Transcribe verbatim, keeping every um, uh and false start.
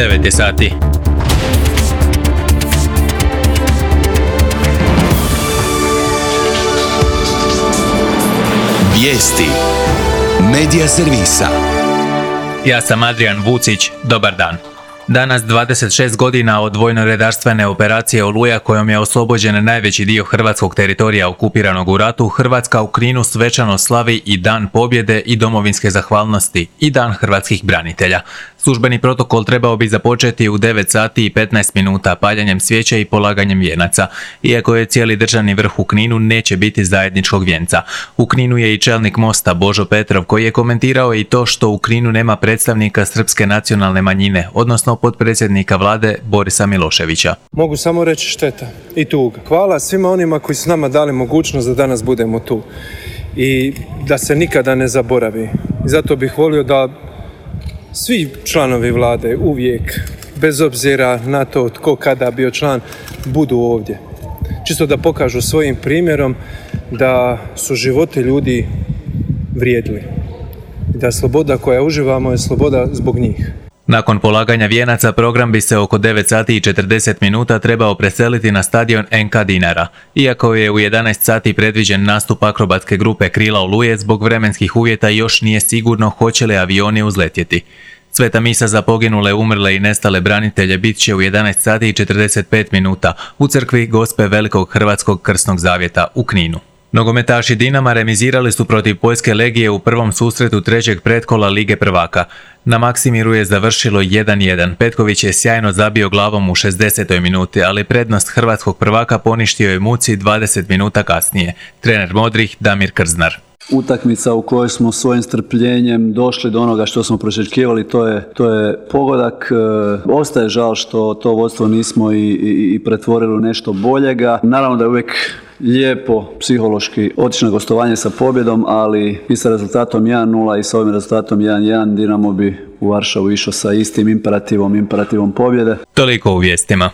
devet je sati. Vijesti Medija servisa. Ja sam Adrian Vucić, dobar dan. Danas, dvadeset šest godina od vojno-redarstvene operacije Oluja, kojom je oslobođen najveći dio hrvatskog teritorija okupiranog u ratu, Hrvatska u Kninu svečano slavi i Dan pobjede i domovinske zahvalnosti i Dan hrvatskih branitelja. Službeni protokol trebao bi započeti u devet sati i petnaest minuta paljenjem svijeća i polaganjem vijenaca. Iako je cijeli državni vrh u Kninu, neće biti zajedničkog vijenca. U Kninu je i čelnik Mosta Božo Petrov, koji je komentirao i to što u Kninu nema predstavnika srpske nacionalne manjine, odnosno potpredsjednika vlade Borisa Miloševića. Mogu samo reći šteta i tuga. Hvala svima onima koji su nama dali mogućnost da danas budemo tu i da se nikada ne zaboravi. I zato bih volio da svi članovi vlade uvijek, bez obzira na to tko kada bio član, budu ovdje. Čisto da pokažu svojim primjerom da su životi ljudi vrijedili. I da sloboda koja uživamo je sloboda zbog njih. Nakon polaganja vijenaca program bi se oko devet sati i četrdeset minuta trebao preseliti na stadion en ka Dinara. Iako je u jedanaest sati predviđen nastup akrobatske grupe Krila Oluje, zbog vremenskih uvjeta još nije sigurno hoće li avioni uzletjeti. Sveta misa za poginule, umrle i nestale branitelje bit će u jedanaest sati i četrdeset pet minuta u crkvi Gospe Velikog Hrvatskog Krsnog Zavjeta u Kninu. Nogometaši Dinama remizirali su protiv Poljske Legije u prvom susretu trećeg pretkola Lige prvaka. Na Maksimiru je završilo jedan jedan. Petković je sjajno zabio glavom u šezdesetoj minuti, ali prednost hrvatskog prvaka poništio je Muci dvadeset minuta kasnije. Trener modrih Damir Krznar. Utakmica u kojoj smo svojim strpljenjem došli do onoga što smo priželjkivali, to je, to je pogodak. E, ostaje žal što to vodstvo nismo i, i, i pretvorili u nešto boljega. Naravno da je uvijek lijepo psihološki otići na gostovanje sa pobjedom, ali i sa rezultatom jedan nula i sa ovim rezultatom jedan jedan Dinamo bi u Varšavu išao sa istim imperativom, imperativom pobjede. Toliko u vijestima.